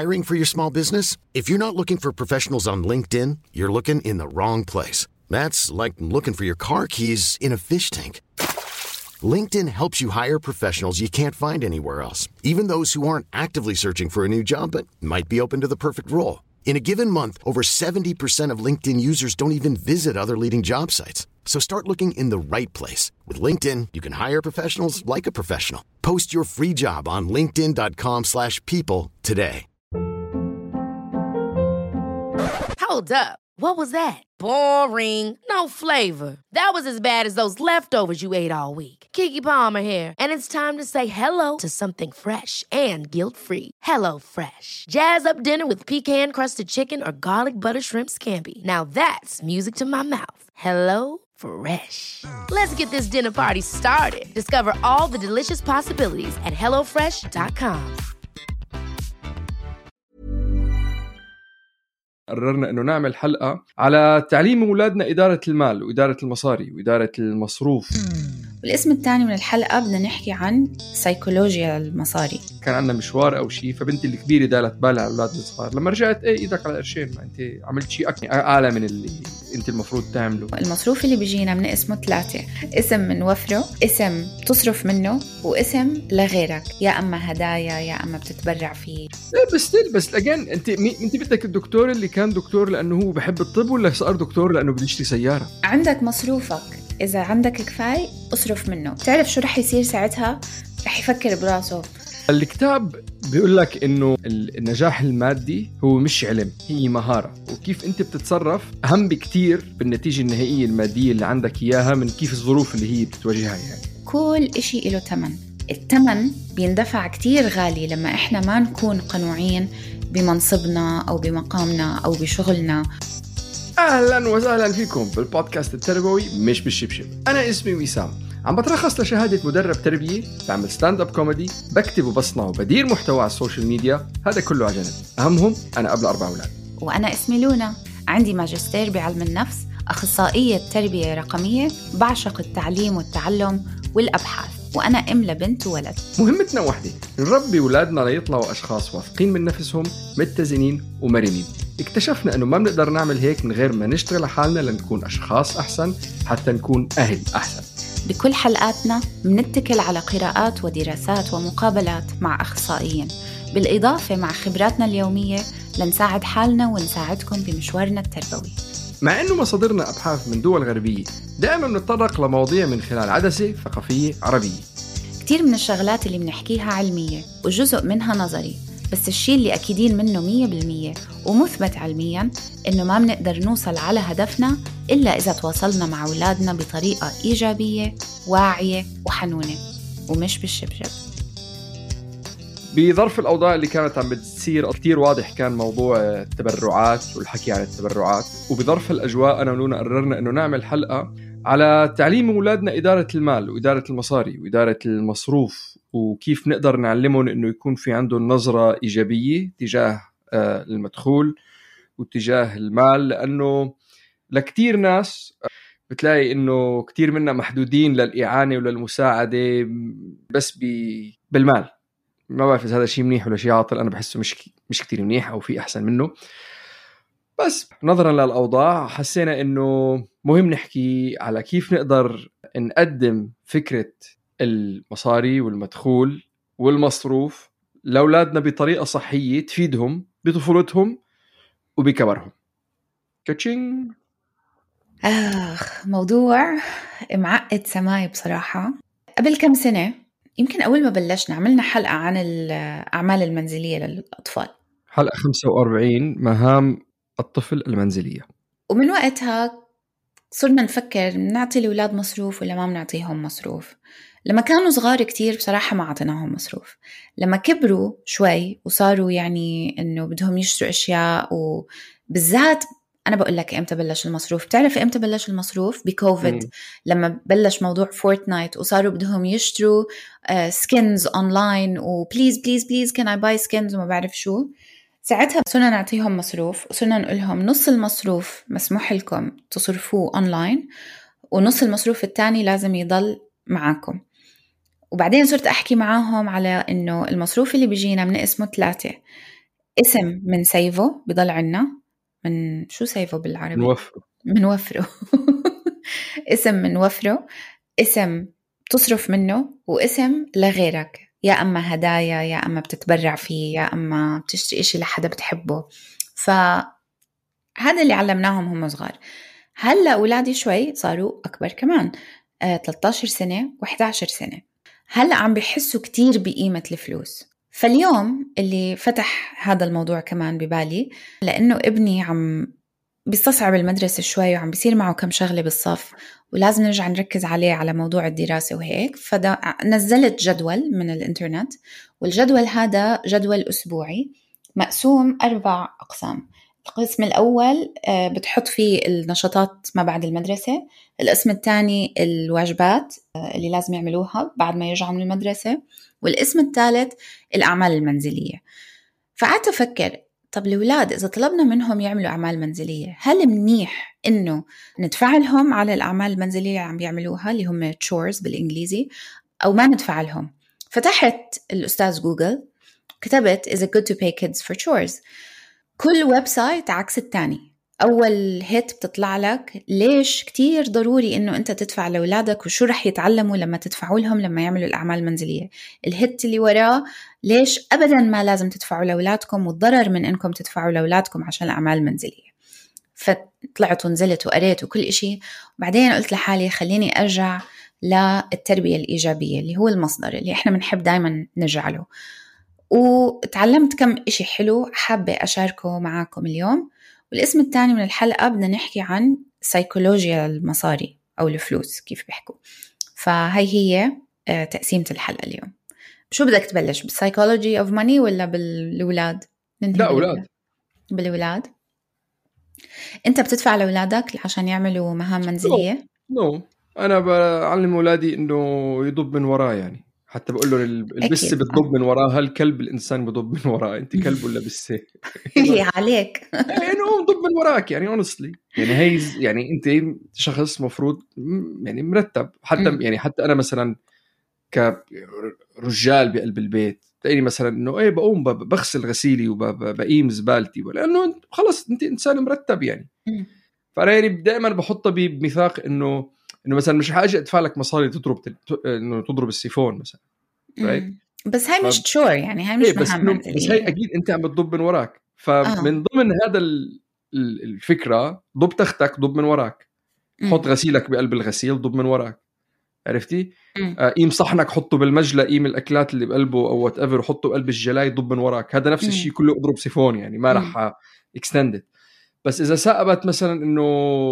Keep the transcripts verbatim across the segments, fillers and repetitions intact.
Hiring for your small business? If you're not looking for professionals on LinkedIn, you're looking in the wrong place. That's like looking for your car keys in a fish tank. LinkedIn helps you hire professionals you can't find anywhere else, even those who aren't actively searching for a new job but might be open to the perfect role. In a given month, over seventy percent of LinkedIn users don't even visit other leading job sites. So start looking in the right place. With LinkedIn, you can hire professionals like a professional. Post your free job on linkedin.com slash people today. Hold up. What was that? Boring. No flavor. That was as bad as those leftovers you ate all week. Keke Palmer here, and it's time to say hello to something fresh and guilt-free. Hello Fresh. Jazz up dinner with pecan-crusted chicken or garlic butter shrimp scampi. Now that's music to my mouth. Hello Fresh. Let's get this dinner party started. Discover all the delicious possibilities at hello fresh dot com. قررنا إنه نعمل حلقة على تعليم أولادنا إدارة المال وإدارة المصاري وإدارة المصروف. والاسم الثاني من الحلقة بدنا نحكي عن سيكولوجيا المصاري. كان عندنا مشوار أو شيء، فبنتي الكبيرة دالت بالها على أولاد الصغار. لما رجعت إيه إيدك على قرشين، ما أنت عملت شيء أكني أعلى من اللي أنت المفروض تعمله. المصروف اللي بيجينا من اسمه ثلاثة، اسم من وفره، اسم تصرف منه، واسم لغيرك، يا أما هدايا يا أما بتتبرع فيه. لا بس تل بس لجان أنت مي أنت بدك الدكتور اللي كان دكتور لأنه هو بحب الطب، ولا صار دكتور لأنه بده يشتري سيارة؟ عندك مصروفك، إذا عندك كفاية أصرف منه. تعرف شو رح يصير ساعتها؟ رح يفكر براسه. الكتاب بيقول لك إنه النجاح المادي هو مش علم، هي مهارة، وكيف أنت بتتصرف أهم بكتير بالنتيجة النهائية المادية اللي عندك إياها من كيف الظروف اللي هي بتواجهها. يعني كل إشي له تمن. التمن بيندفع كتير غالي لما إحنا ما نكون قنوعين بمنصبنا أو بمقامنا أو بشغلنا. أهلاً وسهلاً فيكم بالبودكاست التربوي مش بالشبشب. أنا اسمي وسام، عم بترخص لشهادة مدرب تربية، بعمل ستاند اب كوميدي، بكتب وبصنع وبدير محتوى على السوشيال ميديا، هذا كله على جنب. أهمهم أنا قبل أربع أولاد. وأنا اسمي لونا، عندي ماجستير بعلم النفس، أخصائية تربية رقمية، بعشق التعليم والتعلم والأبحاث، وأنا أم لبنت وولد. مهمتنا واحدة، نربي أولادنا ليطلعوا أشخاص واثقين من نفسهم، متزنين ومرنين. اكتشفنا أنه ما بنقدر نعمل هيك من غير ما نشتغل على حالنا لنكون أشخاص أحسن، حتى نكون أهل أحسن. بكل حلقاتنا منتكل على قراءات ودراسات ومقابلات مع أخصائيين، بالإضافة مع خبراتنا اليومية لنساعد حالنا ونساعدكم بمشوارنا التربوي. مع أنه مصادرنا أبحاث من دول غربية، دائما بنتطرق لمواضيع من خلال عدسة ثقافية عربية. كتير من الشغلات اللي بنحكيها علمية وجزء منها نظري، بس الشيء اللي أكيدين منه مية بالمية ومثبت علمياً إنه ما بنقدر نوصل على هدفنا إلا إذا تواصلنا مع أولادنا بطريقة إيجابية واعية وحنونة، ومش بالشبشب. بظرف الأوضاع اللي كانت عم بتصير كتير واضح كان موضوع التبرعات والحكي عن التبرعات، وبظرف الأجواء أنا ولونا قررنا إنه نعمل حلقة على تعليم أولادنا إدارة المال وإدارة المصاري وإدارة المصروف، وكيف نقدر نعلمهم إنه يكون في عندهم نظرة إيجابية تجاه المدخول وتجاه المال. لأنه لكتير ناس بتلاقي إنه كتير منا محدودين للإعانة وللمساعدة بس بالمال. ما بعرف إذا هذا شيء منيح ولا شيء عاطل، أنا بحسه مش مش كتير منيح أو في أحسن منه، بس نظرا للأوضاع حسينا إنه مهم نحكي على كيف نقدر نقدم فكرة المصاري والمدخول والمصروف لأولادنا بطريقة صحية تفيدهم بطفولتهم وبكبرهم. كاتشينج. آخ، موضوع معقد سماي بصراحة. قبل كم سنة يمكن أول ما بلشنا عملنا حلقة عن الأعمال المنزلية للأطفال، حلقة خمسة وأربعين مهام الطفل المنزلية. ومن وقتها صرنا نفكر نعطي الأولاد مصروف ولا ما بنعطيهم مصروف. لما كانوا صغار كتير بصراحة ما عطيناهم مصروف. لما كبروا شوي وصاروا يعني إنه بدهم يشتروا أشياء، وبالذات أنا بقول لك إمتى بلش المصروف. تعرف إمتى بلش المصروف؟ بكوفيد. م. لما بلش موضوع فورتنايت وصاروا بدهم يشتروا سكينز أونلاين، وبليز بليز بليز كان I buy skins وما بعرف شو. ساعتها صرنا نعطيهم مصروف، وصرنا نقول لهم نص المصروف مسموح لكم تصرفوه أونلاين، ونص المصروف التاني لازم يضل معاكم. وبعدين صرت أحكي معاهم على إنه المصروف اللي بيجينا من اسمه ثلاثة، اسم من سيفو بضل عنا، من شو سيفو بالعربي؟ نوفره من وفره اسم من وفره، اسم تصرف منه، واسم لغيرك، يا أما هدايا، يا أما بتتبرع فيه، يا أما بتشتري إشي لحدا بتحبه. فهذا اللي علمناهم هم صغار. هلأ أولادي شوي صاروا أكبر كمان، آه، ثلاثة عشر سنة وإحدى عشرة سنة، هلأ عم بيحسوا كتير بقيمة الفلوس. فاليوم اللي فتح هذا الموضوع كمان ببالي، لأنه ابني عم بيستصعب المدرسة شوي وعم بيصير معه كم شغلة بالصف ولازم نرجع نركز عليه على موضوع الدراسة وهيك، فنزلت جدول من الإنترنت، والجدول هذا جدول أسبوعي مقسوم أربع أقسام. القسم الأول بتحط فيه النشاطات ما بعد المدرسة، القسم الثاني الواجبات اللي لازم يعملوها بعد ما يرجعوا من المدرسة، والقسم الثالث الأعمال المنزلية. فقعدت أفكر، طب الأولاد إذا طلبنا منهم يعملوا أعمال منزلية، هل منيح إنه ندفع لهم على الأعمال المنزلية اللي عم بيعملوها اللي هم chores بالإنجليزي، أو ما ندفع لهم؟ فتحت الأستاذ جوجل، كتبت is it good to pay kids for chores. كل ويب سايت عكس التاني. أول هيت بتطلع لك ليش كتير ضروري إنه أنت تدفع لأولادك وشو رح يتعلموا لما تدفعوا لهم لما يعملوا الأعمال المنزلية. الهيت اللي وراه ليش أبداً ما لازم تدفعوا لأولادكم والضرر من إنكم تدفعوا لأولادكم عشان الأعمال المنزلية. فطلعت ونزلت وقريت وكل إشي، وبعدين قلت لحالي خليني أرجع للتربية الإيجابية اللي هو المصدر اللي إحنا بنحب دايماً نرجع له، وتعلمت كم إشي حلو حابة أشاركه معاكم اليوم. والاسم الثاني من الحلقة بدنا نحكي عن سيكولوجيا المصاري أو الفلوس كيف بيحكوا. فهي هي تقسيمة الحلقة اليوم. شو بدك تبلش، بالسيكولوجي أوف ماني ولا بالولاد؟ لا أولاد. بالولاد. أنت بتدفع لأولادك عشان يعملوا مهام منزلية؟ نو no. no. أنا بعلم أولادي إنه يضب من وراه، يعني حتى بقول له البسة بتضب من وراها، الكلب الإنسان بضب من وراه، أنت كلب ولا بسة؟ هي عليك يعني هو ضب من وراك، يعني honestly يعني هي يعني أنت شخص مفروض يعني مرتب. حتى يعني حتى أنا مثلا كرجال بقلب البيت تلاقيني مثلا إنه إيه بقوم بغسل غسيلي وبقيم زبالتي، لأنه خلص أنت إنسان مرتب يعني. فأنا يعني دائما بحطه بميثاق إنه إنه مثلا مش حاجة أدفع لك مصاري تضرب إنه تضرب السيفون مثلا، right؟ بس هاي مش تشور، يعني هاي مش بس, مهمة، بس هاي أكيد أنت عم بتضب من وراك. فمن آه. ضمن هذا الفكرة ضب تختك ضب من وراك، حط غسيلك بقلب الغسيل ضب من وراك، عرفتي؟ آه قيم صحنك حطه بالمجلة، قيم الأكلات اللي بقلبه أو whatever حطه بقلب الجلاي ضب من وراك. هذا نفس الشيء كله اضرب سيفون، يعني ما رح extended. بس إذا سأبت مثلا إنه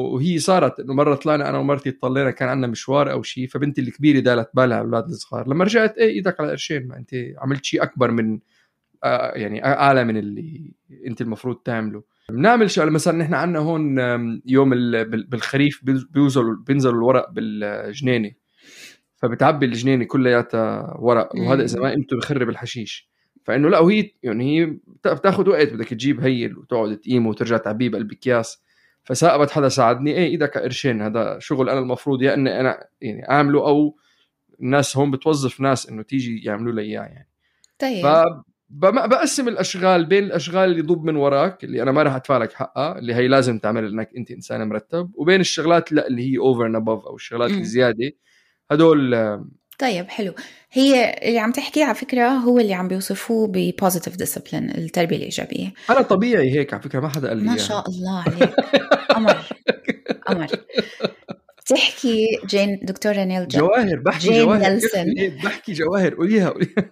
وهي صارت إنه مرة طلعنا أنا ومرتي اطلعنا كان عندنا مشوار أو شيء، فبنتي الكبيرة دالت بالها على الأولاد الصغار، لما رجعت إيه إيدك على قرشين، ما أنت عملت شيء أكبر من آه يعني أعلى من اللي أنت المفروض تعمله. بنعمل شغله مثلا نحن عندنا هون يوم بالخريف بيوزلوا بينزلوا الورق بالجنينة، فبتعبي الجنينة كلياتها ورق، وهذا إذا ما قيمته بخرب الحشيش. فإنه لا، وهي يعني هي بتاخد وقت، بدك تجيب هيل وتقعد تقيمه وترجع تعبيه بقلب أكياس. فساقبت حدا ساعدني، إيه إيدك قرشين، هذا شغل أنا المفروض يا إني أنا يعني أعمله، أو الناس هون بتوظف ناس إنه تيجي يعملوا لي إياه يعني. طيب. فبقسم الأشغال بين الأشغال اللي ضب من وراك اللي أنا ما راح أدفع لك حقها، اللي هي لازم تعمل لأنك أنت إنسان مرتب، وبين الشغلات لا اللي هي over and above أو الشغلات م. الزيادة هدول. طيب حلو. هي اللي عم تحكي على فكرة هو اللي عم بيوصفوه ب positive discipline، التربية الإيجابية. أنا طبيعي هيك على فكرة، ما حدا قال لي ما شاء الله عليك. أمر أمر. تحكي جين دكتورة نيل جواهر، بحكي جين جواهر نيلسون. بحكي جواهر، قوليها قوليها.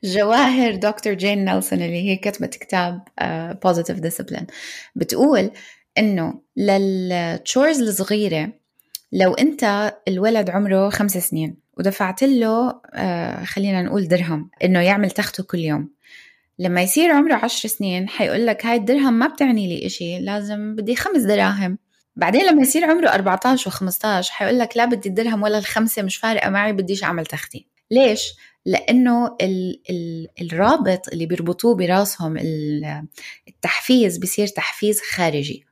جواهر دكتور جين نيلسون اللي هي كتبت كتاب uh, positive discipline، بتقول إنه للتشورز الصغيرة لو أنت الولد عمره خمس سنين ودفعت له آه خلينا نقول درهم إنه يعمل تخته كل يوم، لما يصير عمره عشر سنين حيقول لك هاي الدرهم ما بتعني لي إشي، لازم بدي خمس دراهم. بعدين لما يصير عمره أربعة عشر وخمسة عشر حيقول لك لا بدي الدرهم ولا الخمسة، مش فارقة معي، بديش أعمل تختي. ليش؟ لأنه ال ال الرابط اللي بيربطوه براسهم التحفيز بيصير تحفيز خارجي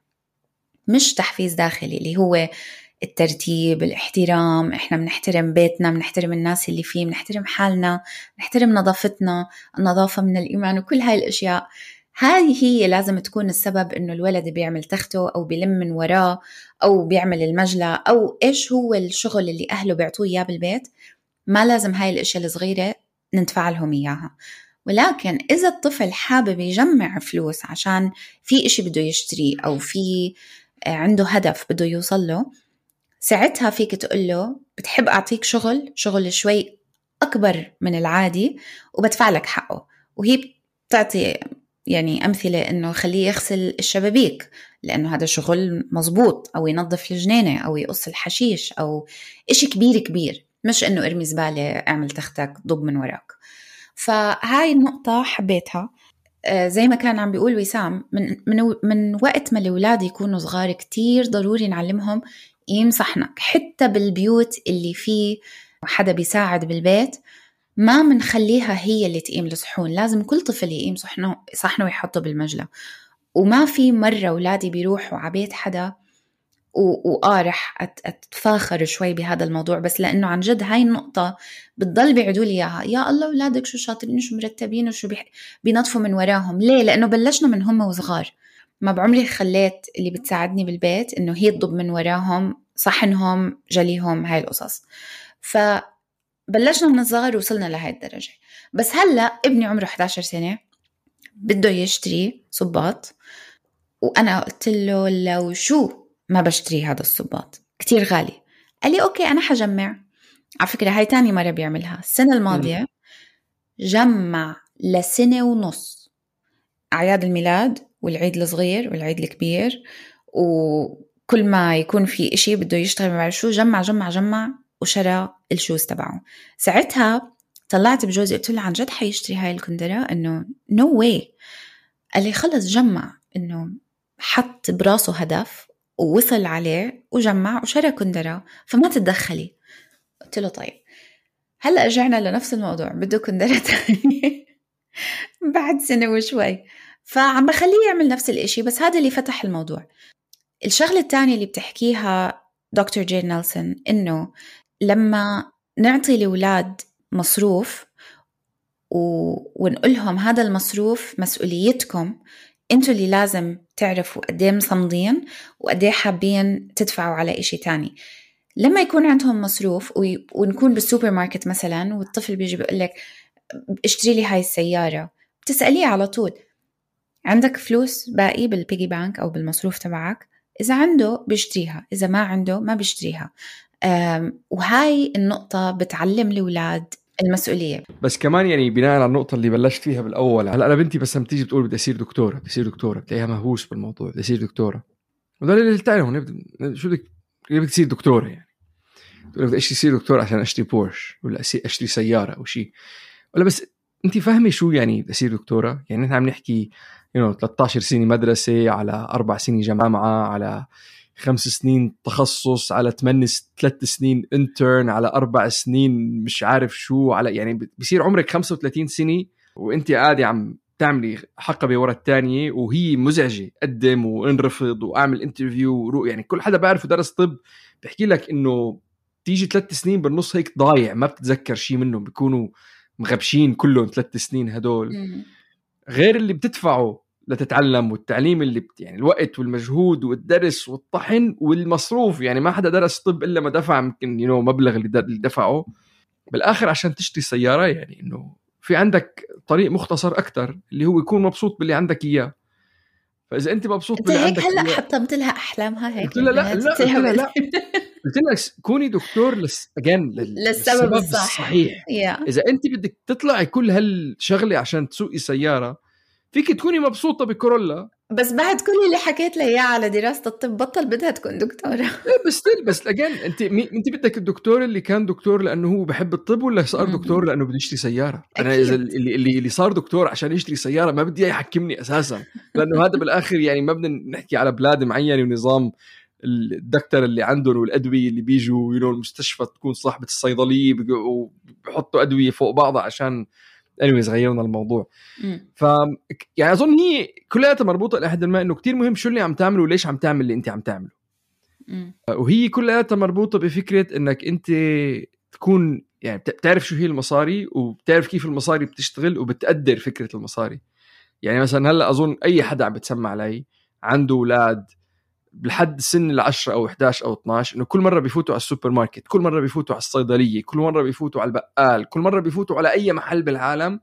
مش تحفيز داخلي، اللي هو الترتيب، الاحترام. احنا بنحترم بيتنا، بنحترم الناس اللي فيه، بنحترم حالنا، بنحترم نظافتنا، النظافة من الإيمان وكل هاي الأشياء. هاي هي لازم تكون السبب إنه الولد بيعمل تخته أو بيلم من وراه أو بيعمل المجلة أو إيش هو الشغل اللي أهله بيعطوه إياه بالبيت. ما لازم هاي الأشياء الصغيرة ندفع لهم إياها. ولكن إذا الطفل حابب يجمع فلوس عشان في إشي بده يشتري أو في عنده هدف بده يوصل له، ساعتها فيك تقول له بتحب أعطيك شغل شغل شوي أكبر من العادي وبدفع لك حقه. وهي بتعطي يعني أمثلة إنه خليه يغسل الشبابيك لأنه هذا شغل مزبوط، أو ينظف الجنينة أو يقص الحشيش أو إشي كبير كبير، مش إنه ارمي زبالة اعمل تختك ضب من وراك. فهاي النقطة حبيتها. آه زي ما كان عم بيقول وسام، من, من, من وقت ما الأولاد يكونوا صغار كتير ضروري نعلمهم قيم صحنك. حتى بالبيوت اللي فيه حدا بيساعد بالبيت ما منخليها هي اللي تقيم الصحون، لازم كل طفل يقيم صحنه صحنه ويحطه بالمجلة. وما في مرة أولادي بيروحوا عبيت حدا وآه رح أتفاخر شوي بهذا الموضوع، بس لأنه عن جد هاي النقطة بتضل بيعدوا لي إياها. يا الله أولادك شو شاطرين شو مرتبين وشو بينظفوا من وراهم. ليه؟ لأنه بلشنا من هم وصغار. ما بعمري خليت اللي بتساعدني بالبيت إنه هي تضب من وراهم صحنهم جليهم هاي القصص. فبلشنا من الصغر وصلنا لهاي الدرجة. بس هلأ ابني عمره إحدى عشرة سنة بده يشتري صباط، وأنا قلت له لو شو ما بشتري هذا الصباط كتير غالي. قال لي أوكي أنا حجمع. على فكرة هاي تاني مرة بيعملها. السنة الماضية جمع لسنة ونص، أعياد الميلاد والعيد الصغير والعيد الكبير، وكل ما يكون في إشي بده يشتغل مع شو جمع جمع جمع وشرى الشوز تبعه. ساعتها طلعت بجوزي قلت له عن جد حيشتري هاي الكندرة؟ إنه no way. قال لي خلص جمع، إنه حط براسه هدف ووصل عليه وجمع وشرى كندرة، فما تتدخلي. قلت له طيب. هلأ رجعنا لنفس الموضوع، بده كندرة تانية بعد سنة وشوي، فعم بخليه يعمل نفس الاشي. بس هذا اللي فتح الموضوع. الشغلة الثانية اللي بتحكيها دكتور جين نيلسون، إنه لما نعطي الأولاد مصروف و... ونقولهم هذا المصروف مسؤوليتكم، انتوا اللي لازم تعرفوا قديه مصمدين وقديه حابين تدفعوا على إشي تاني. لما يكون عندهم مصروف و... ونكون بالسوبر ماركت مثلا، والطفل بيجي بيقولك اشتري لي هاي السيارة، بتسأليه على طول عندك فلوس باقي بالبيجي بانك أو بالمصروف تبعك؟ إذا عنده بيشتريها، إذا ما عنده ما بيشتريها. وهاي النقطة بتعلم الأولاد المسؤولية. بس كمان يعني بناء على النقطة اللي بلشت فيها بالأول، هلا أنا بنتي بس لما تيجي بتقول بدي أصير دكتورة بدي أصير دكتورة بتلاقيها مهووس بالموضوع، بدي أصير دكتورة. وده اللي تعلمون شو بدك بدك تصير دكتورة، يعني تقول بدي أشتري دكتورة عشان أشتري بورش ولا أشتري سيارة أو شيء، ولا بس أنت فاهمة شو يعني بدي أصير دكتورة؟ يعني نحن عم نحكي you know ثلاثة عشر سنة مدرسة، على أربع سنين جامعة، على خمس سنين تخصص، على ثمان ثلاث سنين انترن، على أربع سنين مش عارف شو، على يعني بيصير عمرك خمسة وثلاثين سنة وانت قاعدة عم تعملي حقبة ورا الثانية، وهي مزعجة. قدم وانرفض واعمل انترفيو، يعني كل حدا بعرف درس طب بيحكي لك انه تيجي ثلاث سنين بالنص هيك ضايع ما بتتذكر شيء منهم، بيكونوا مغبشين كلهم ثلاث سنين هدول، غير اللي بتدفعه لتتعلم والتعليم اللي بت... يعني الوقت والمجهود والدرس والطحن والمصروف. يعني ما حدا درس طب إلا ما دفع يمكن ينو مبلغ اللي, د... اللي دفعه بالآخر عشان تشتري سيارة. يعني إنه في عندك طريق مختصر أكتر اللي هو يكون مبسوط باللي عندك إياه. فإذا أنت مبسوط باللي عندك إياه، هلأ حطمت لها أحلامها هيك. قلت لا لا لا, لا. قلت لك كوني دكتور لس... أجان لل... للسبب الصح. الصحيح. yeah. إذا أنت بدك تطلعي كل هالشغلة عشان تسوقي سيارة، فيك تكوني مبسوطة بكورولا، بس بعد كل اللي حكيت لها إياه على دراسة الطب بطل بدها تكون دكتورة. بس بس أجان أنت مي... أنت بدك الدكتور اللي كان دكتور لأنه هو بحب الطب، ولا صار دكتور لأنه بده يشتري سيارة؟ أنا إذا اللي اللي اللي صار دكتور عشان يشتري سيارة ما بدي يحكمني أساسا، لأنه هذا بالآخر يعني ما بدنا نحكي على بلاد معينة ونظام الدكتور اللي عندهم والأدوية اللي بيجوا ينو المستشفى تكون صاحبة الصيدلية وبيحطوا أدوية فوق بعضها عشان anyways غيرنا الموضوع. ف يعني أظن هي كلها مربوطة لحد ما إنه كتير مهم شو اللي عم تعمله وليش عم تعمل اللي أنت عم تعمله. م. وهي كلها مربوطة بفكرة إنك أنت تكون يعني بتعرف شو هي المصاري وبتعرف كيف المصاري بتشتغل وبتقدر فكرة المصاري. يعني مثلا هلا اظن اي حدا عم بتسمع علي عنده اولاد لحد سن العشرة او إحدى عشر او اثني عشر، انه كل مره بيفوتوا على السوبر ماركت، كل مره بيفوتوا على الصيدليه، كل مره بيفوتوا على البقال، كل مره بيفوتوا على اي محل بالعالم،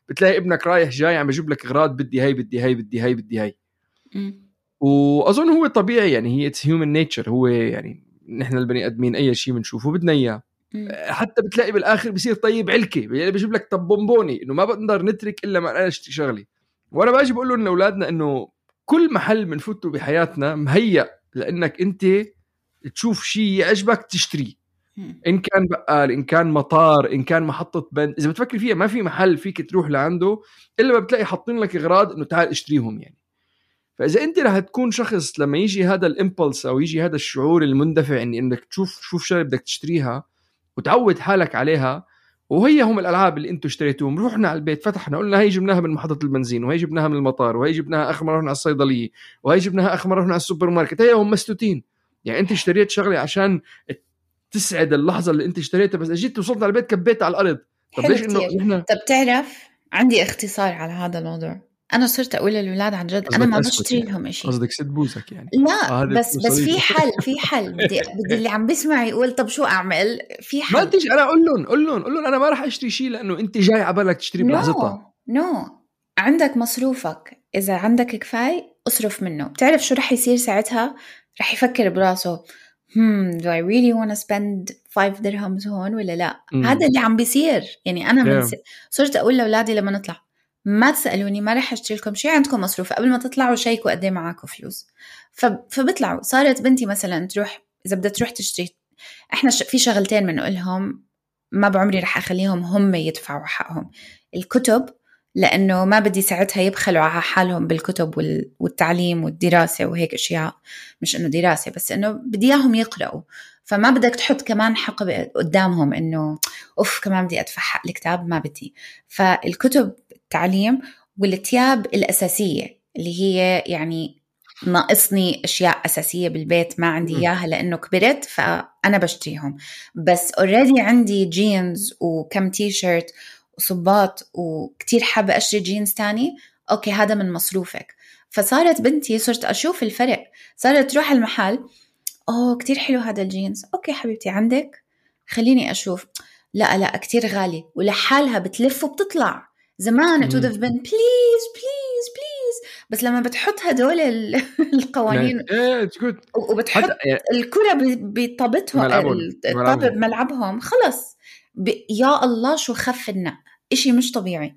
بتلاقي ابنك رايح جاي عم بيجيب لك اغراض، بدي هاي بدي هاي بدي هاي بدي هاي. واظن هو طبيعي، يعني هي اتس هيومن نيتشر، هو يعني نحن البني ادمين اي شيء بنشوفه بدنا اياه. حتى بتلاقي بالاخر بصير طيب علكه، يعني بيجيب لك طب بونبوني، انه ما بقدر نترك الا ما انا اشتري شغلي. وانا باجي بقول لهم لاولادنا انه كل محل بنفوته بحياتنا مهيأ لانك انت تشوف شيء يعجبك تشتريه، ان كان بقال، ان كان مطار، ان كان محطه بنز. اذا بتفكر فيها ما في محل فيك تروح لعنده الا ما بتلاقي حاطين لك اغراض انه تعال اشتريهم يعني. فاذا انت رح تكون شخص لما يجي هذا الامبلس او يجي هذا الشعور المندفع اني انك تشوف شوف شغله بدك تشتريها وتعود حالك عليها، وهي هم الالعاب اللي انتم اشتريتوهم. رحنا على البيت فتحنا قلنا هي جبناها من محطه البنزين، وهي جبناها من المطار، وهي جبناها اخر مره رحنا على الصيدليه، وهي جبناها اخر مره رحنا على السوبر ماركت. هي هم مسلوتين. يعني انت اشتريت شغله عشان تسعد اللحظه اللي انت اشتريتها، بس اجيت وصلت على البيت كبيتها على الارض. طب ليش انه احنا طب تعرف عندي اختصار على هذا الموضوع. انا صرت اقول للاولاد عن جد انا ما بشتري لهم يعني. شيء. قصدك ست بوزك يعني؟ لا آه بس بس في حل في حل بدي بدي اللي عم بسمع يقول طب شو اعمل؟ في حل. ما تيجي انا اقول لهم قول لهم قول لهم انا ما راح اشتري شيء لانه انت جاي على بالك تشتري بلحظتها. نو no. no. عندك مصروفك، اذا عندك كفايه اصرف منه. بتعرف شو رح يصير ساعتها؟ رح يفكر براسه hmm do I really want to spend five dirhams هون ولا لا؟ mm. هذا اللي عم بيصير. يعني انا من yeah. صرت اقول لاولادي لما نطلع ما تسألوني، ما رح اشتري لكم شيء، عندكم مصروف قبل ما تطلعوا شيكوا قد ايه معاكم فلوس. فبطلعوا. صارت بنتي مثلا تروح، اذا بدها تروح تشتري، احنا في شغلتين بنقولهم ما بعمري رح اخليهم هم يدفعوا حقهم: الكتب، لانه ما بدي ساعتها يبخلوا على حالهم بالكتب والتعليم والدراسه وهيك اشياء، مش انه دراسه بس انه بدي اياهم يقرأوا، فما بدك تحط كمان حق قدامهم انه اوف كمان بدي ادفع حق الكتاب، ما بدي. فالكتب، التعليم، والثياب الاساسيه اللي هي يعني ناقصني اشياء اساسيه بالبيت ما عندي اياها لانه كبرت فانا بشتريهم، بس اوريدي عندي جينز وكم تي شيرت وصباط وكتير حابه اشتري جينز تاني، اوكي هذا من مصروفك. فصارت بنتي صرت اشوف الفرق، صارت تروح المحل، اوه كتير حلو هذا الجينز، اوكي حبيبتي عندك، خليني اشوف، لا لا كتير غالي، ولحالها بتلف وبتطلع. زمان it would have been please please please، بس لما بتحط هدول القوانين وبتحط الكرة بطابتهم الطابة بملعبهم، خلص يا الله شو خف النق، إشي مش طبيعي.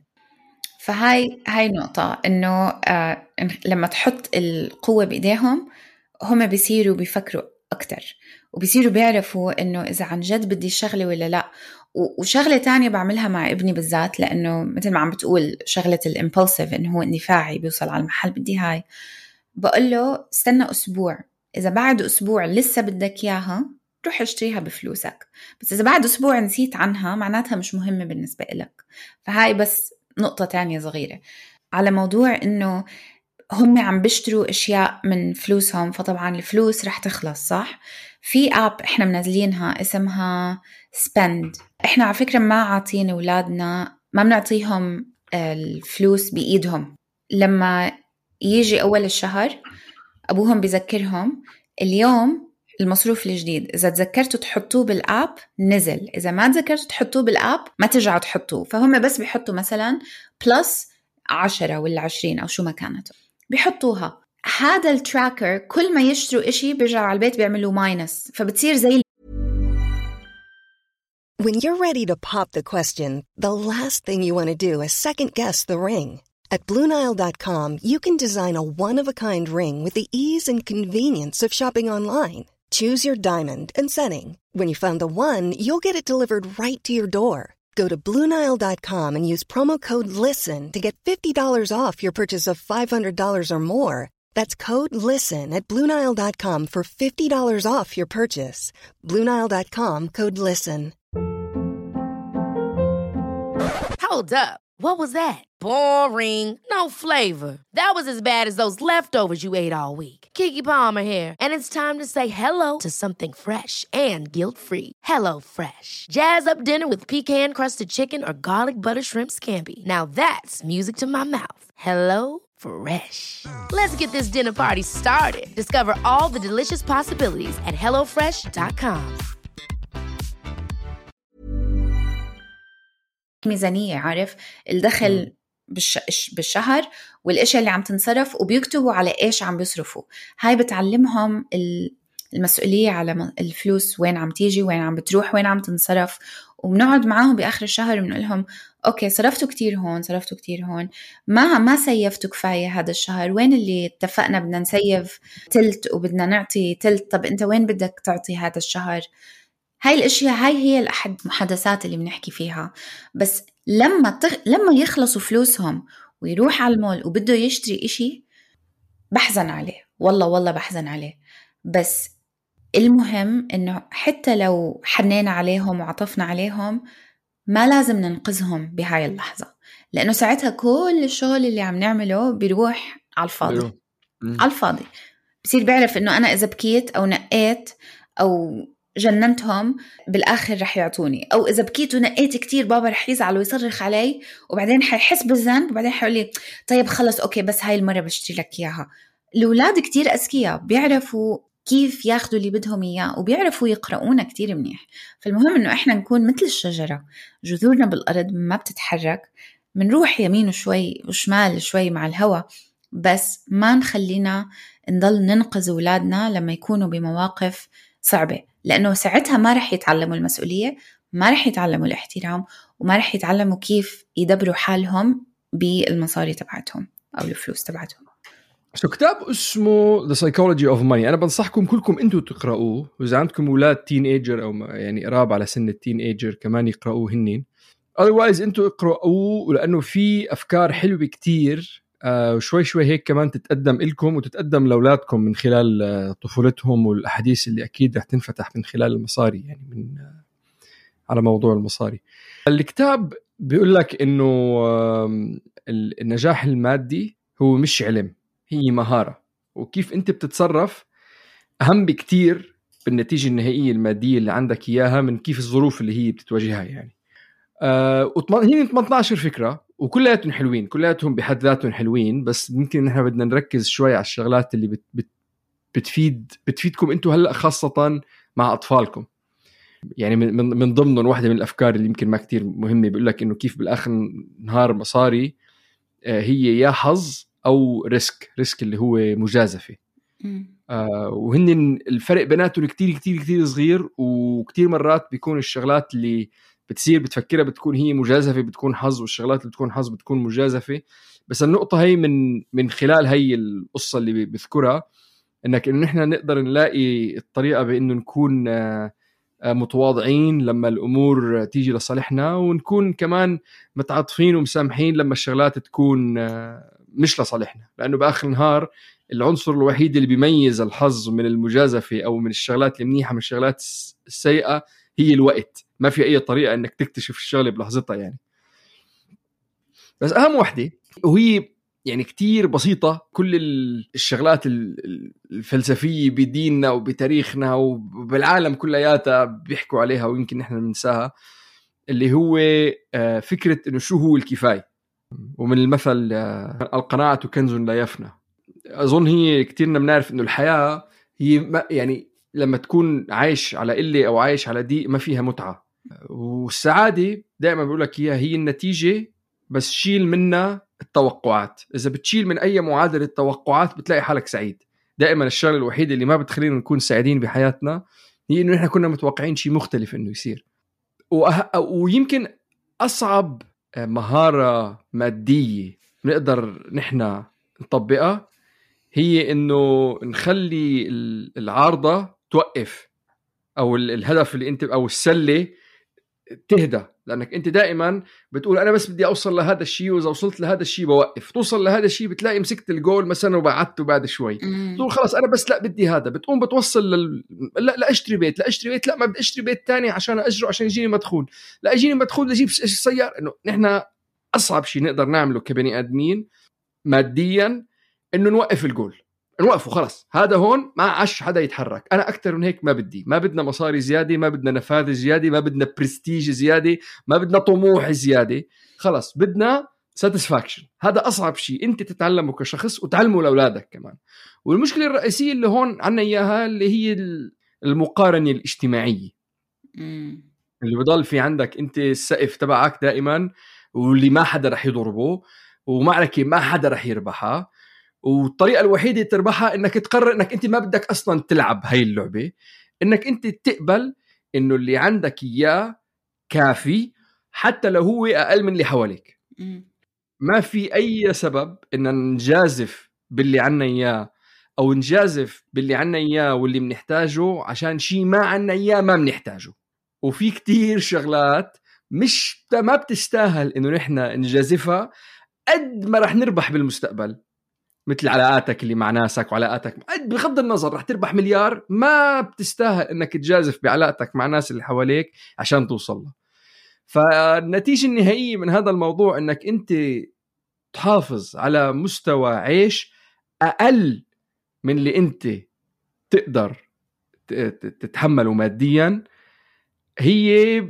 فهاي هاي نقطة إنه آه لما تحط القوة بإيديهم هم بيصيروا بيفكروا أكتر، وبيصيروا بيعرفوا إنه إذا عن جد بدي شغلة ولا لا. وشغلة تانية بعملها مع ابني بالذات، لأنه مثل ما عم بتقول شغلة الإمبولسيف إنه هو اندفاعي بيوصل على المحل بدي هاي، بقول له استنى أسبوع، إذا بعد أسبوع لسه بدك إياها روح اشتريها بفلوسك، بس إذا بعد أسبوع نسيت عنها معناتها مش مهمة بالنسبة لك. فهاي بس نقطة تانية صغيرة على موضوع إنه هم عم بيشتروا أشياء من فلوسهم، فطبعا الفلوس رح تخلص صح. في آب إحنا منزلينها اسمها spend. إحنا على فكرة ما عاطين أولادنا، ما بنعطيهم الفلوس بإيدهم، لما يجي أول الشهر أبوهم بيذكرهم اليوم المصروف الجديد، إذا تذكرتوا تحطوه بالآب نزل، إذا ما تذكرتوا تحطوه بالآب ما ترجعوا تحطوه. فهم بس بيحطوا مثلا بلس عشرة ولا عشرين أو شو ما كانت بيحطوها. هذا التراكر كل ما يشتروا إشي بيرجعوا على البيت بيعملوا ماينس، فبتصير زي. When you're ready to pop the question, the last thing you want to do is second guess the ring. At Blue Nile dot com, you can design a one-of-a-kind ring with the ease and convenience of shopping online. Choose your diamond and setting. When you find the one, you'll get it delivered right to your door. Go to Blue Nile dot com and use promo code LISTEN to get fifty dollars off your purchase of five hundred dollars or more. That's code LISTEN at Blue Nile dot com for fifty dollars off your purchase. Blue Nile dot com, code LISTEN. Hold up. What was that? Boring. No flavor. That was as bad as those leftovers you ate all week. Keke Palmer here, and it's time to say hello to something fresh and guilt-free. Hello Fresh. Jazz up dinner with pecan-crusted chicken or garlic butter shrimp scampi. Now that's music to my mouth. Hello Fresh. Let's get this dinner party started. Discover all the delicious possibilities at hello fresh dot com. ميزانية، عارف الدخل بالش... بالشهر والاشياء اللي عم تنصرف، وبيكتبوا على ايش عم بيصرفوا. هاي بتعلمهم المسؤولية على الفلوس، وين عم تيجي، وين عم بتروح، وين عم تنصرف. وبنقعد معاهم بآخر الشهر بنقول لهم اوكي صرفتوا كتير هون، صرفتوا كتير هون، ما ما سيفتوا كفاية هذا الشهر، وين اللي اتفقنا بدنا نسيف تلت وبدنا نعطي تلت، طب انت وين بدك تعطي هذا الشهر؟ هاي الاشياء هاي هي الأحد محادثات اللي بنحكي فيها. بس لما تغ... لما يخلصوا فلوسهم ويروح على المول وبده يشتري اشي، بحزن عليه، والله والله بحزن عليه. بس المهم انه حتى لو حنينا عليهم وعطفنا عليهم، ما لازم ننقذهم بهاي اللحظة، لانه ساعتها كل الشغل اللي عم نعمله بيروح على الفاضي. على الفاضي بصير بيعرف انه انا اذا بكيت او نقيت او جننتهم بالآخر رح يعطوني، أو إذا بكيت ونقيت كتير بابا رح يزعل ويصرخ علي، وبعدين حيحس بالذنب، وبعدين حيقول لي طيب خلص أوكي بس هاي المرة بشتري لك إياها. الأولاد كتير أذكياء، بيعرفوا كيف ياخدوا اللي بدهم إياه، وبيعرفوا يقرؤونا كتير منيح. فالمهم إنه إحنا نكون مثل الشجرة، جذورنا بالأرض ما بتتحرك، منروح يمين شوي وشمال شوي مع الهواء، بس ما نخلينا نضل ننقذ أولادنا لما يكونوا بمواقف صعبة، لأنه ساعتها ما رح يتعلموا المسؤولية، ما رح يتعلموا الاحترام، وما رح يتعلموا كيف يدبروا حالهم بالمصاري تبعتهم أو الفلوس تبعتهم. شو كتاب اسمه The Psychology of Money، أنا بنصحكم كلكم أنتوا تقرأوه، وإذا عندكم أولاد تين ايجر أو يعني قراب على سن التين ايجر كمان يقرأوه هنين. otherwise أنتوا اقرأوه، لأنه في أفكار حلوة كتير آه وشوي شوي هيك كمان تتقدم إلكم وتتقدم لأولادكم من خلال آه طفولتهم، والأحاديث اللي أكيد رح تنفتح من خلال المصاري، يعني من آه على موضوع المصاري. الكتاب بيقول لك إنه آه النجاح المادي هو مش علم، هي مهارة، وكيف أنت بتتصرف أهم بكتير بالنتيجة النهائية المادية اللي عندك إياها من كيف الظروف اللي هي بتتواجهها. يعني آه هي ثمانية عشر فكرة وكلاتهم حلوين، كلاتهم بحد ذاتهم حلوين، بس ممكن نحن بدنا نركز شوي على الشغلات اللي بت بت بتفيد بتفيدكم انتوا هلأ خاصة مع أطفالكم. يعني من من ضمنهم واحدة من الأفكار اللي يمكن ما كتير مهمة، بيقول لك إنه كيف بالآخر نهار مصاري آه هي يا حظ أو ريسك، ريسك اللي هو مجازفة. آه وهن الفرق بيناتهم كتير كتير كتير صغير، وكتير مرات بيكون الشغلات اللي بتصير بتفكرها بتكون هي مجازفة بتكون حظ، والشغلات اللي بتكون حظ بتكون مجازفة. بس النقطة هي من من خلال هي القصة اللي بذكرها، إنك إنه نحن نقدر نلاقي الطريقة بإنه نكون متواضعين لما الأمور تيجي لصالحنا، ونكون كمان متعاطفين ومسامحين لما الشغلات تكون مش لصالحنا، لأنه بآخر النهار العنصر الوحيد اللي بيميز الحظ من المجازفة أو من الشغلات المنيحة من الشغلات السيئة هي الوقت. ما في أي طريقة إنك تكتشف الشغلة بلحظتها يعني. بس أهم وحدة وهي يعني كتير بسيطة، كل الشغلات الفلسفية بديننا وبتاريخنا وبالعالم كلياتها بيحكوا عليها ويمكن نحن ننساها، اللي هو فكرة إنه شو هو الكفاية. ومن المثل القناعة كنز لا يفنى. أظن هي كتيرنا بنعرف إنه الحياة هي يعني لما تكون عايش على قلة أو عايش على ضيق ما فيها متعة. والسعادة دائما بقول لك هي هي النتيجة، بس شيل منها التوقعات. إذا بتشيل من أي معادلة التوقعات بتلاقي حالك سعيد. دائما الشغلة الوحيدة اللي ما بتخلينا نكون سعيدين بحياتنا هي إنه إحنا كنا متوقعين شيء مختلف إنه يصير. وأه... ويمكن أصعب مهارة مادية نقدر نحن نطبقها هي إنه نخلي العارضة توقف، أو الهدف اللي أنت أو السلة تهدى، لأنك أنت دائما بتقول أنا بس بدي أوصل لهذا الشيء، وإذا وصلت لهذا الشيء بوقف. توصل لهذا الشيء بتلاقي مسكت الجول مثلا وبعدته بعد شوي، تقول خلاص أنا بس لا بدي هذا، بتقوم بتوصل لل... لا لا أشتري بيت، لا أشتري بيت، لا ما بدي أشتري بيت تاني عشان أجره عشان يجيني مدخول، لا يجيني مدخول أجيب سيارة. إنه نحن أصعب شيء نقدر نعمله كبني آدمين ماديا إنه نوقف الجول، نوقفه خلاص، هذا هون ما عاش حدا يتحرك. أنا أكتر من هيك ما بدي، ما بدنا مصاري زيادة، ما بدنا نفاذ زيادة، ما بدنا برستيج زيادة، ما بدنا طموح زيادة، خلاص بدنا satisfaction. هذا أصعب شيء أنت تتعلمه كشخص وتعلمه لأولادك كمان. والمشكلة الرئيسية اللي هون عنا إياها اللي هي المقارنة الاجتماعية مم. اللي بضل في عندك أنت السقف تبعك دائما، واللي ما حدا رح يضربه، ومعركة ما حدا رح يربحها، والطريقة الوحيدة تربحها إنك تقرر إنك أنت ما بدك أصلا تلعب هاي اللعبة، إنك أنت تقبل إنه اللي عندك إياه كافي حتى لو هو أقل من اللي حواليك. مم. ما في أي سبب إن نجازف باللي عنا إياه أو نجازف باللي عنا إياه واللي منحتاجه عشان شيء ما عنا إياه ما منحتاجه. وفي كتير شغلات مش ما بتستاهل إنه نحن نجازفها قد ما رح نربح بالمستقبل، مثل علاقاتك اللي مع ناسك وعلاقاتك بغض النظر رح تربح مليار، ما بتستاهل إنك تجازف بعلاقتك مع ناس اللي حواليك عشان توصل له. فالنتيجة النهائية من هذا الموضوع إنك أنت تحافظ على مستوى عيش أقل من اللي أنت تقدر تتحمله ماديا، هي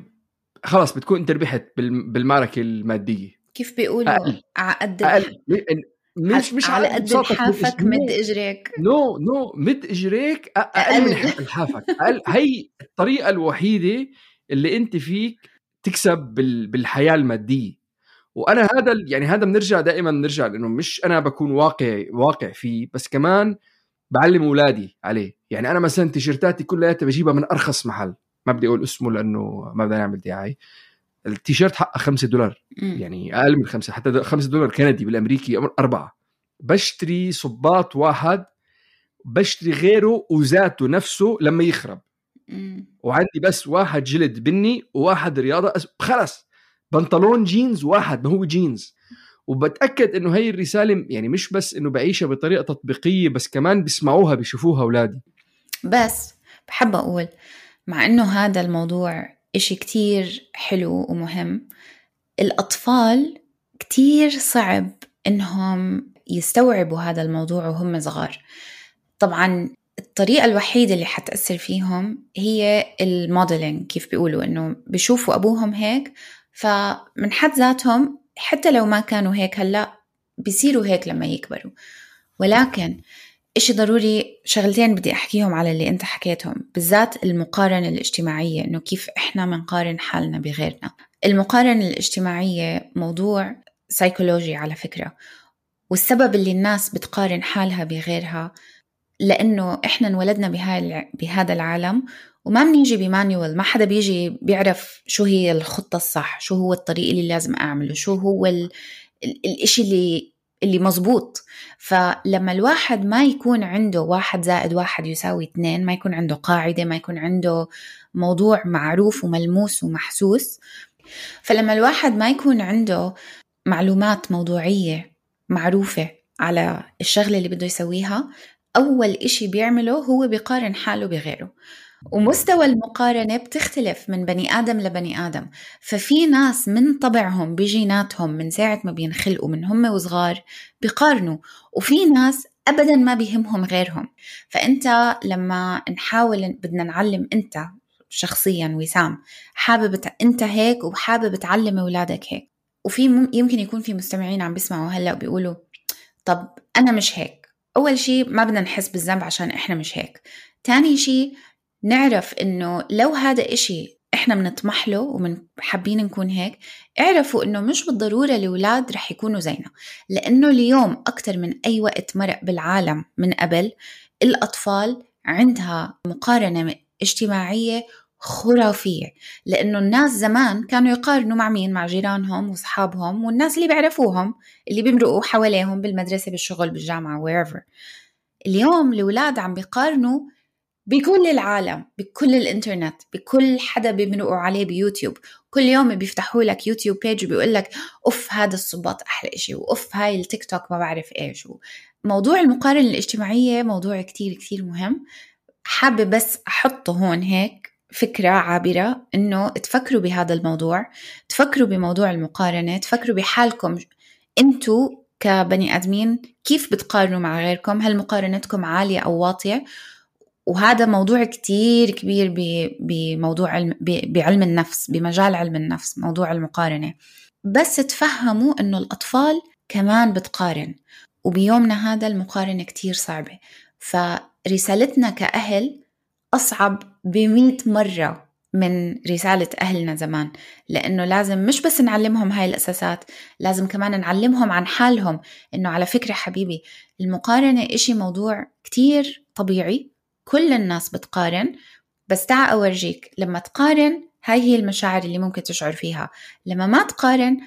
خلاص بتكون أنت ربحت بالمعركة المادية. كيف بيقولوا عقد مش مش على قد الحافك مد اجريك. نو نو مد اجريك اقل من الحافك. اقل. هي الطريقه الوحيده اللي انت فيك تكسب بالحياه الماديه. وانا هذا يعني هذا بنرجع دائما بنرجع لانه مش انا بكون واقع واقع فيه، بس كمان بعلم اولادي عليه. يعني انا مثلا تيشيرتاتي كلها بجيبها من ارخص محل، ما بدي اقول اسمه لانه ما بدنا نعمل دعايه. التيشيرت حقه خمسة دولار، يعني أقل من خمسة، حتى خمسة دولار كندي، بالأمريكي أربعة. بشتري صباط واحد بشتري غيره وذاته نفسه لما يخرب، وعندي بس واحد جلد بني وواحد رياضة، خلص بنطلون جينز واحد ما هو جينز. وبتأكد إنه هاي الرسالة يعني مش بس إنه بعيشها بطريقة تطبيقية، بس كمان بيسمعوها بيشوفوها أولادي. بس بحب أقول مع إنه هذا الموضوع إشي كتير حلو ومهم، الأطفال كتير صعب إنهم يستوعبوا هذا الموضوع وهم صغار. طبعاً الطريقة الوحيدة اللي حتأثر فيهم هي الموديلينج، كيف بيقولوا إنه بيشوفوا أبوهم هيك، فمن حد ذاتهم حتى لو ما كانوا هيك هلأ بيصيروا هيك لما يكبروا. ولكن إشي ضروري، شغلتين بدي أحكيهم على اللي أنت حكيتهم، بالذات المقارنة الاجتماعية، إنه كيف إحنا منقارن حالنا بغيرنا. المقارنة الاجتماعية موضوع سيكولوجي على فكرة، والسبب اللي الناس بتقارن حالها بغيرها لأنه إحنا انولدنا بهذا العالم وما بنيجي بمانيوال، ما حدا بيجي بيعرف شو هي الخطة الصح، شو هو الطريق اللي لازم أعمله، شو هو ال... ال... الإشي اللي اللي مزبوط. فلما الواحد ما يكون عنده واحد زائد واحد يساوي اثنين، ما يكون عنده قاعدة، ما يكون عنده موضوع معروف وملموس ومحسوس، فلما الواحد ما يكون عنده معلومات موضوعية معروفة على الشغلة اللي بده يسويها، أول إشي بيعمله هو بيقارن حاله بغيره. ومستوى المقارنة بتختلف من بني آدم لبني آدم. ففي ناس من طبعهم بجيناتهم من ساعة ما بينخلقوا من هم وصغار بيقارنوا، وفي ناس أبدا ما بيهمهم غيرهم. فأنت لما نحاول بدنا نعلم، أنت شخصيا وسام حابب أنت هيك وحابب تعلم أولادك هيك، وفي يمكن يكون في مستمعين عم بيسمعوا هلأ وبيقولوا طب أنا مش هيك. أول شيء ما بدنا نحس بالذنب عشان إحنا مش هيك. تاني شيء نعرف إنه لو هذا إشي إحنا بنطمح له ومن حابين نكون هيك، اعرفوا إنه مش بالضرورة الأولاد رح يكونوا زينا، لأنه اليوم أكتر من أي وقت مرق بالعالم من قبل الأطفال عندها مقارنة اجتماعية خرافية، لأنه الناس زمان كانوا يقارنوا مع مين؟ مع جيرانهم وصحابهم والناس اللي بيعرفوهم اللي بيمرقوا حواليهم بالمدرسة بالشغل بالجامعة wherever. اليوم الأولاد عم بيقارنوا بكل العالم، بكل الانترنت، بكل حدا بيمرقوا عليه بيوتيوب. كل يوم بيفتحوا لك يوتيوب بيج وبيقول لك أوف هذا الصباط أحلى إشي، وأوف هاي التيك توك ما بعرف إيش. موضوع المقارنة الاجتماعية موضوع كتير كتير مهم، حابة بس أحطه هون هيك فكرة عابرة إنه تفكروا بهذا الموضوع، تفكروا بموضوع المقارنة، تفكروا بحالكم أنتوا كبني آدمين كيف بتقارنوا مع غيركم، هل مقارنتكم عالية أو واطية. وهذا موضوع كتير كبير بموضوع علم بعلم النفس، بمجال علم النفس، موضوع المقارنة. بس تفهموا إنه الأطفال كمان بتقارن، وبيومنا هذا المقارنة كتير صعبة. فرسالتنا كأهل أصعب بمئة مرة من رسالة أهلنا زمان، لأنه لازم مش بس نعلمهم هاي الأساسات، لازم كمان نعلمهم عن حالهم. إنه على فكرة حبيبي، المقارنة إشي موضوع كتير طبيعي، كل الناس بتقارن، بس تعا أورجيك لما تقارن هاي هي المشاعر اللي ممكن تشعر فيها. لما ما تقارن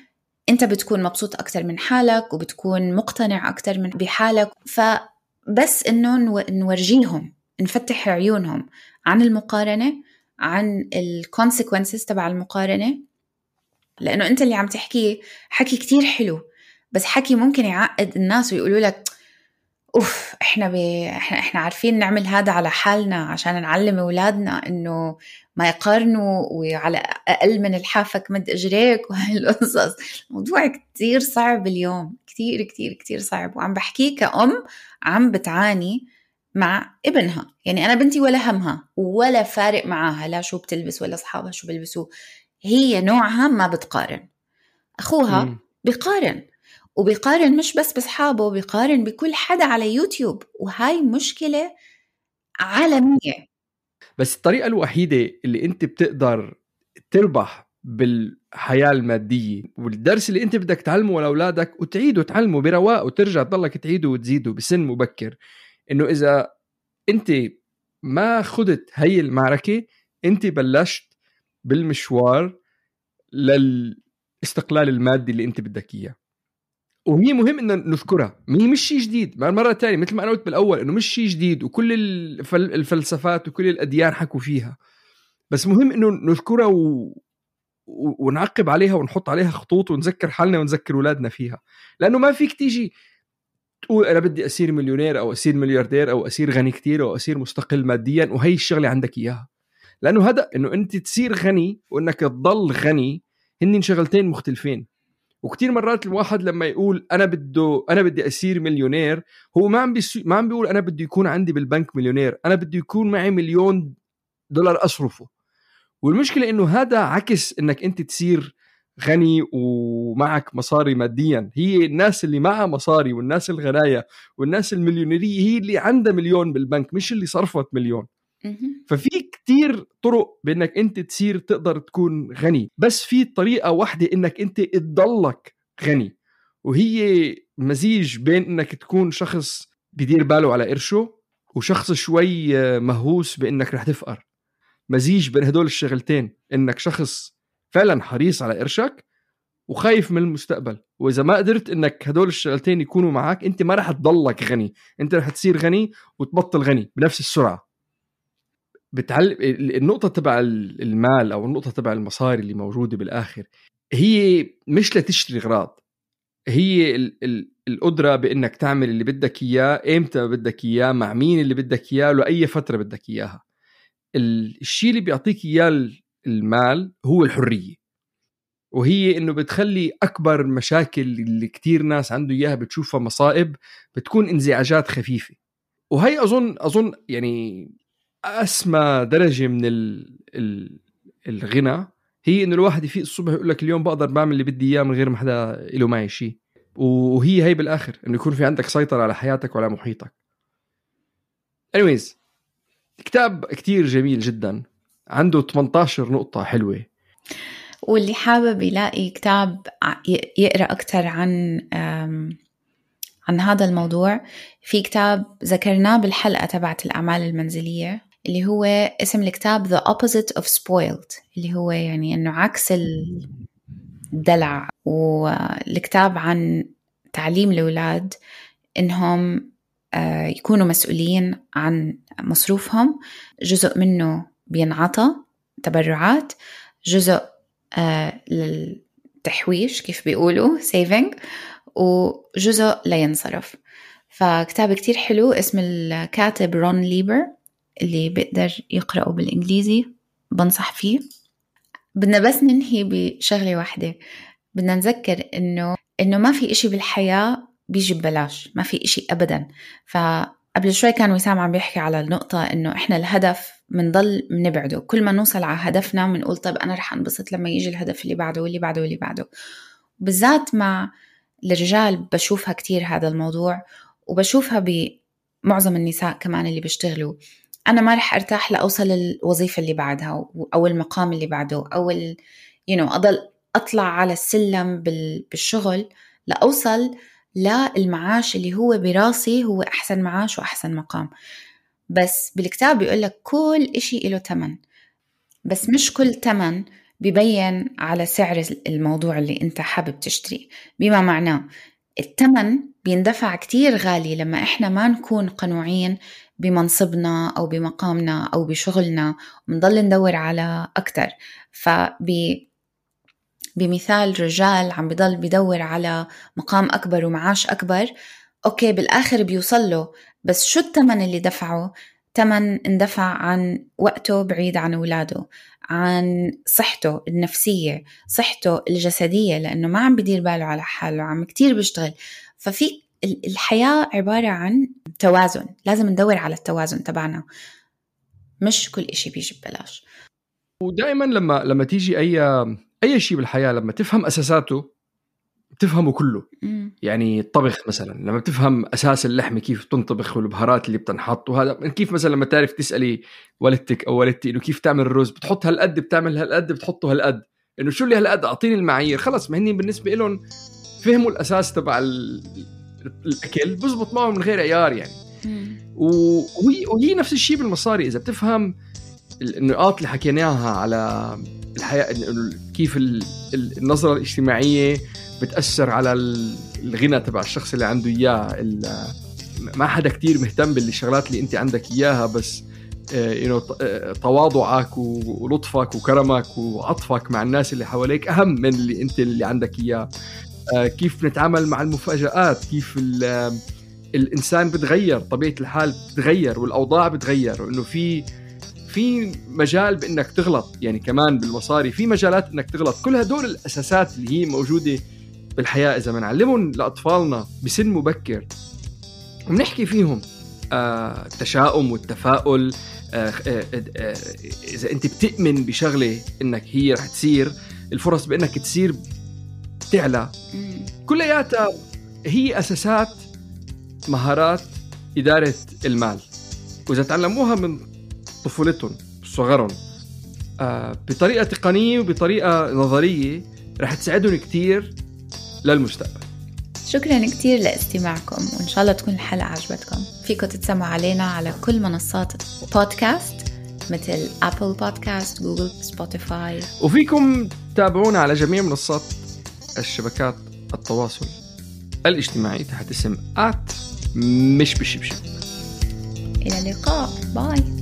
أنت بتكون مبسوط أكتر من حالك، وبتكون مقتنع أكتر من بحالك. فبس إنه نورجيهم، نفتح عيونهم عن المقارنة، عن الكونسيكونسز تبع المقارنة. لأنه أنت اللي عم تحكيه حكي كتير حلو، بس حكي ممكن يعقد الناس ويقولوا لك أوف إحنا, بي... إحنا إحنا عارفين نعمل هذا على حالنا عشان نعلم أولادنا إنه ما يقارنوا، وعلى أقل من الحافك مد إجريك وهاي القصص. موضوع كتير صعب اليوم، كتير كتير كتير صعب. وعم بحكيه كأم عم بتعاني مع ابنها. يعني أنا بنتي ولا همها ولا فارق معاها لا شو بتلبس ولا أصحابها شو بيلبسوا، هي نوعها ما بتقارن. أخوها م. بيقارن، وبيقارن مش بس بأصحابه، بيقارن بكل حدا على يوتيوب، وهاي مشكلة عالمية. بس الطريقة الوحيدة اللي انت بتقدر تربح بالحياة المادية، والدرس اللي انت بدك تعلمه لأولادك وتعيده تعلمه برواق، وترجع تضلك تعيده وتزيده بسن مبكر، انه اذا انت ما خدت هاي المعركة، انت بلشت بالمشوار للاستقلال المادي اللي انت بدك اياه. وهي مهم إنه نذكرها، هي مش شيء جديد. مرة تانية مثل ما أنا قلت بالأول إنه مش شيء جديد، وكل الفلسفات وكل الأديان حكوا فيها، بس مهم إنه نذكرها و... و... ونعقب عليها ونحط عليها خطوط، ونذكر حالنا ونذكر أولادنا فيها. لأنه ما فيك تيجي تقول أنا بدي أصير مليونير أو أصير ملياردير أو أصير غني كتير أو أصير مستقل ماديا وهي الشغلة عندك إياها. لأنه هذا إنه أنت تصير غني وإنك تضل غني هنين شغلتين مختلفين. وكتير مرات الواحد لما يقول أنا بده أنا بدي أصير مليونير، هو ما عم بيسو... ما عم بيقول أنا بدي يكون عندي بالبنك مليونير، أنا بدي يكون معي مليون دولار أصرفه. والمشكلة إنه هذا عكس إنك أنت تصير غني ومعك مصاري ماديا. هي الناس اللي معها مصاري والناس الغناية والناس المليونيرية هي اللي عندها مليون بالبنك، مش اللي صرفت مليون. ففي كتير طرق بأنك أنت تصير تقدر تكون غني، بس في طريقة واحدة أنك أنت تضلك غني، وهي مزيج بين أنك تكون شخص بدير باله على قرشه وشخص شوي مهووس بأنك رح تفقر. مزيج بين هدول الشغلتين، أنك شخص فعلا حريص على قرشك وخايف من المستقبل. وإذا ما قدرت أنك هدول الشغلتين يكونوا معك، أنت ما رح تضلك غني، أنت رح تصير غني وتبطل غني بنفس السرعة. بتعلم النقطة تبع المال أو النقطة تبع المصاري اللي موجودة بالآخر، هي مش لتشتري غراض، هي ال ال القدرة بأنك تعمل اللي بدك إياه إمتى بدك إياه، مع مين اللي بدك إياه، لأي فترة بدك إياها. الشيء اللي بيعطيك إياه المال هو الحرية، وهي إنه بتخلي أكبر مشاكل اللي كتير ناس عنده إياها بتشوفها مصائب بتكون انزعاجات خفيفة. وهي أظن أظن يعني أسمى درجة من ال ال الغنى هي إنه الواحد يفيق الصبح يقول لك اليوم بقدر بعمل اللي بدي إياه من غير ما حدا له معي شيء. وهي هي بالآخر إنه يكون في عندك سيطرة على حياتك وعلى محيطك. anyways كتاب كتير جميل جدا، عنده ثمانية عشر نقطة حلوة، واللي حابب يلاقي كتاب يقرأ أكتر عن عن هذا الموضوع، في كتاب ذكرناه بالحلقة تبعت الأعمال المنزلية اللي هو اسم الكتاب The Opposite of Spoiled، اللي هو يعني أنه عكس الدلع. والكتاب عن تعليم الأولاد إنهم يكونوا مسؤولين عن مصروفهم، جزء منه بينعطى تبرعات، جزء للتحويش كيف بيقولوا saving، وجزء لا ينصرف. فكتاب كتير حلو، اسم الكاتب رون ليبر، اللي بيقدر يقرأه بالإنجليزي بنصح فيه. بدنا بس ننهي بشغلة واحدة، بدنا نذكر إنه إنه ما في إشي بالحياة بيجي ببلاش، ما في إشي أبدا. فقبل شوي كان وسام عم بيحكي على النقطة إنه إحنا الهدف منضل منبعده، كل ما نوصل على هدفنا منقول طيب أنا رح أنبسط لما يجي الهدف اللي بعده واللي بعده واللي بعده. بالذات مع الرجال بشوفها كتير هذا الموضوع، وبشوفها بمعظم النساء كمان اللي بيشتغلوا. أنا ما رح أرتاح لأوصل الوظيفة اللي بعدها أو المقام اللي بعده أو ال... you know أضل أطلع على السلم بالشغل لأوصل للمعاش اللي هو براسي هو أحسن معاش وأحسن مقام. بس بالكتاب بيقولك كل إشي له تمن، بس مش كل تمن بيبين على سعر الموضوع اللي أنت حابب تشتري. بما معناه التمن بيندفع كتير غالي لما إحنا ما نكون قنوعين بمنصبنا أو بمقامنا أو بشغلنا ونضل ندور على أكتر. فبي بمثال رجال عم بيضل بيدور على مقام أكبر ومعاش أكبر، أوكي بالآخر بيوصله، بس شو التمن اللي دفعه؟ تمن اندفع عن وقته بعيد عن أولاده، عن صحته النفسية، صحته الجسدية، لأنه ما عم بدير باله على حاله، عم كتير بيشتغل. ففي الحياة عبارة عن توازن، لازم ندور على التوازن تبعنا، مش كل إشي بيجي ببلاش. ودائما لما لما تيجي أي أي شيء بالحياة لما تفهم أساساته تفهمه كله. م. يعني الطبخ مثلا لما بتفهم أساس اللحمة كيف تنطبخ والبهارات اللي بتنحط، وهذا كيف مثلا لما تعرف تسألي والدتك أو والدتي إنه كيف تعمل الرز، بتحط هالقد بتعمل هالقد بتحطه هالقد، إنه شو اللي هالقد أعطيني المعايير، خلص ما هني بالنسبة لهم فهموا الأساس تبع الأكل بزبط معهم من غير عيار يعني. وهي, وهي نفس الشيء بالمصاري، إذا بتفهم النقاط اللي حكيناها على الحياة، كيف النظرة الاجتماعية بتأثر على الغنى تبع الشخص اللي عنده إياه. ما حدا كتير مهتم بالشغلات اللي أنت عندك إياها، بس تواضعك ولطفك وكرمك وعطفك مع الناس اللي حواليك أهم من اللي أنت اللي عندك إياه. كيف نتعامل مع المفاجآت، كيف الإنسان بتغير، طبيعة الحال بتغير والأوضاع بتغير، وإنه في في مجال بإنك تغلط، يعني كمان بالمصاري في مجالات إنك تغلط. كل هدول الأساسات اللي هي موجودة بالحياة إذا منعلمهم لأطفالنا بسن مبكر ومنحكي فيهم آه التشاؤم والتفاؤل، آه آه آه إذا أنت بتؤمن بشغلة إنك هي رح تصير، الفرص بإنك تصير تعلى. كلياتها هي أساسات مهارات إدارة المال، وإذا تعلموها من طفولتهم صغرهم آه بطريقة تقنية وبطريقة نظرية رح تساعدهم كتير للمستقبل. شكرا كتير لاستماعكم، وإن شاء الله تكون الحلقة عجبتكم. فيكم تتسمعوا علينا على كل منصات بودكاست مثل أبل بودكاست، جوجل، سبوتيفاي، وفيكم تابعونا على جميع منصات الشبكات التواصل الاجتماعي تحت اسم آت مش بشبشب. إلى اللقاء، باي.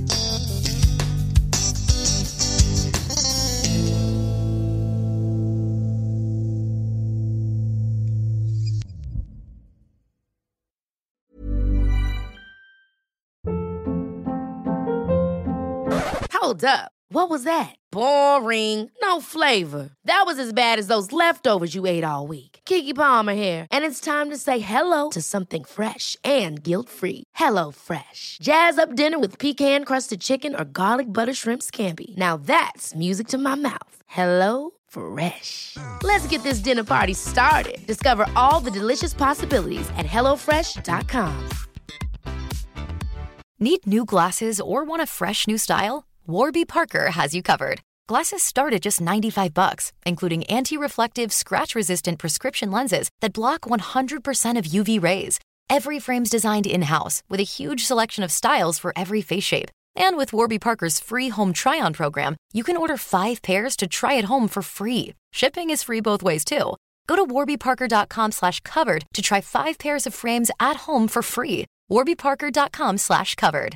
Hold up. What was that? Boring. No flavor. That was as bad as those leftovers you ate all week. Keke Palmer here, and it's time to say hello to something fresh and guilt-free. Hello Fresh. Jazz up dinner with pecan-crusted chicken or garlic butter shrimp scampi. Now that's music to my mouth. Hello Fresh. Let's get this dinner party started. Discover all the delicious possibilities at hello fresh dot com. Need new glasses or want a fresh new style? Warby Parker has you covered. Glasses start at just ninety-five bucks, including anti-reflective, scratch-resistant prescription lenses that block one hundred percent of U V rays. Every frame's designed in-house with a huge selection of styles for every face shape. And with Warby Parker's free home try-on program, you can order five pairs to try at home for free. Shipping is free both ways, too. Go to warby parker dot com slash covered to try five pairs of frames at home for free. warby parker dot com slash covered.